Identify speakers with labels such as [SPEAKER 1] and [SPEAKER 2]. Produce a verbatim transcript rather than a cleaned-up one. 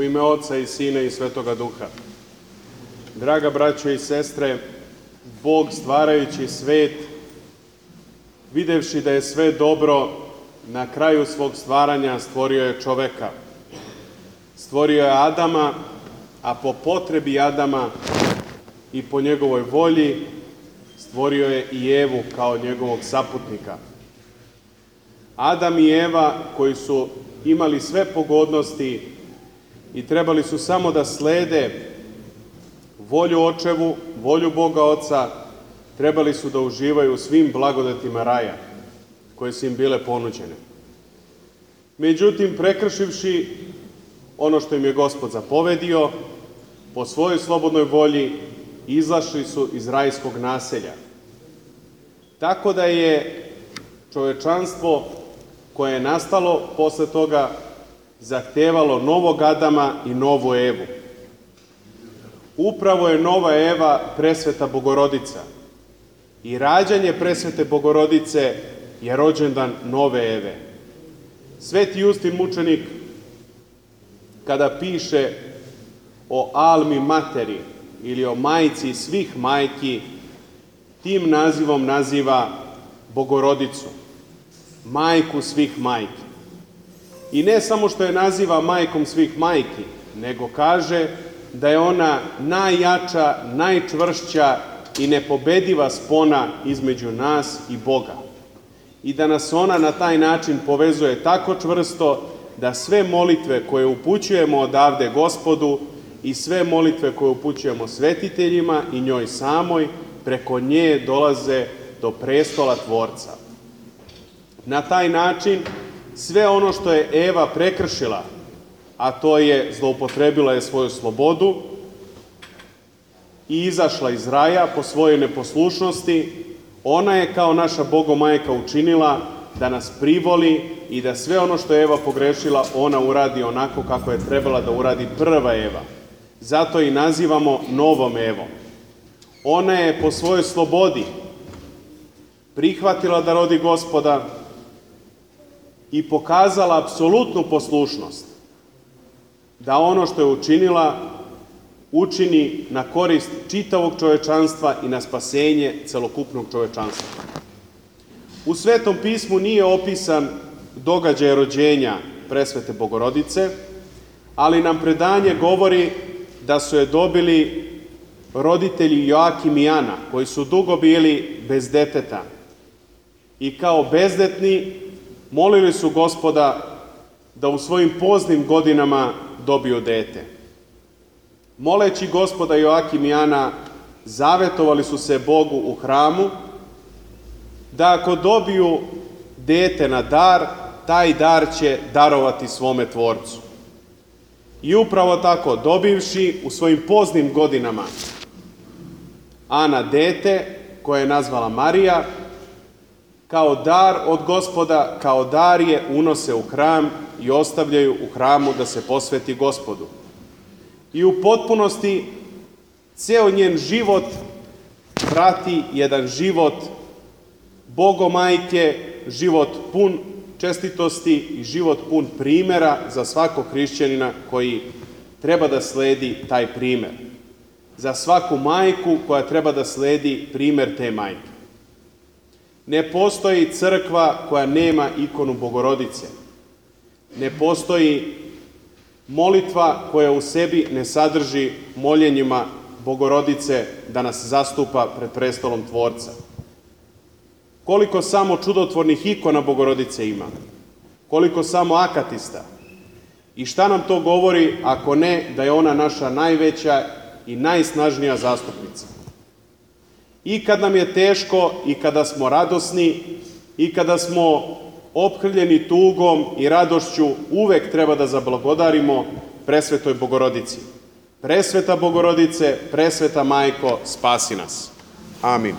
[SPEAKER 1] ime Oca i Sina i Svetoga Duha. Draga braćo i sestre, Bog stvarajući svet, videvši da je sve dobro, na kraju svog stvaranja stvorio je čoveka. Stvorio je Adama, a po potrebi Adama i po njegovoj volji stvorio je i Evu kao njegovog saputnika. Adam i Eva, koji su imali sve pogodnosti i trebali su samo da slede volju očevu, volju Boga Oca, trebali su da uživaju u svim blagodatima raja koje su im bile ponuđene. Međutim, prekršivši ono što im je Gospod zapovedio, po svojoj slobodnoj volji izašli su iz rajskog naselja. Tako da je čovečanstvo koje je nastalo posle toga zahtevalo novog Adama i novu Evu. Upravo je nova Eva presveta Bogorodica i rađanje presvete Bogorodice je rođendan nove Eve. Sveti Justin mučenik, kada piše o Almi Materi ili o majci svih majki, tim nazivom naziva Bogorodicu, majku svih majki. I ne samo što je naziva majkom svih majki, nego kaže da je ona najjača, najčvršća i nepobediva spona između nas i Boga. I da nas ona na taj način povezuje tako čvrsto da sve molitve koje upućujemo odavde Gospodu i sve molitve koje upućujemo svetiteljima i njoj samoj, preko nje dolaze do prestola Tvorca. Na taj način sve ono što je Eva prekršila, a to je zloupotrebila je svoju slobodu i izašla iz raja po svojoj neposlušnosti, ona je kao naša Bogomajka učinila da nas privoli i da sve ono što je Eva pogrešila, ona uradi onako kako je trebala da uradi prva Eva. Zato i nazivamo novom Evom. Ona je po svojoj slobodi prihvatila da rodi Gospoda i pokazala apsolutnu poslušnost da ono što je učinila, učini na korist čitavog čovečanstva i na spasenje celokupnog čovečanstva. U Svetom pismu nije opisan događaj rođenja presvete Bogorodice, ali nam predanje govori da su je dobili roditelji Joakim i Ana, koji su dugo bili bez deteta. I kao bezdetni molili su Gospoda da u svojim poznim godinama dobiju dete. Moleći Gospoda, Joakim i Ana zavetovali su se Bogu u hramu da ako dobiju dete na dar, taj dar će darovati svome Tvorcu. I upravo tako, dobivši u svojim poznim godinama Ana dete, koje je nazvala Marija, kao dar od Gospoda, kao dar je unose u hram i ostavljaju u hramu da se posveti Gospodu. I u potpunosti ceo njen život prati jedan život Bogomajke, život pun čestitosti i život pun primera za svakog hrišćanina koji treba da sledi taj primer. Za svaku majku koja treba da sledi primer te majke. Ne postoji crkva koja nema ikonu Bogorodice. Ne postoji molitva koja u sebi ne sadrži moljenjima Bogorodice da nas zastupa pred prestolom Tvorca. Koliko samo čudotvornih ikona Bogorodice ima, koliko samo akatista. I šta nam to govori ako ne da je ona naša najveća i najsnažnija zastupnica. I kad nam je teško, i kada smo radosni, i kada smo ophrljeni tugom i radošću, uvek treba da zablagodarimo presvetoj Bogorodici. Presveta Bogorodice, presveta Majko, spasi nas. Amin.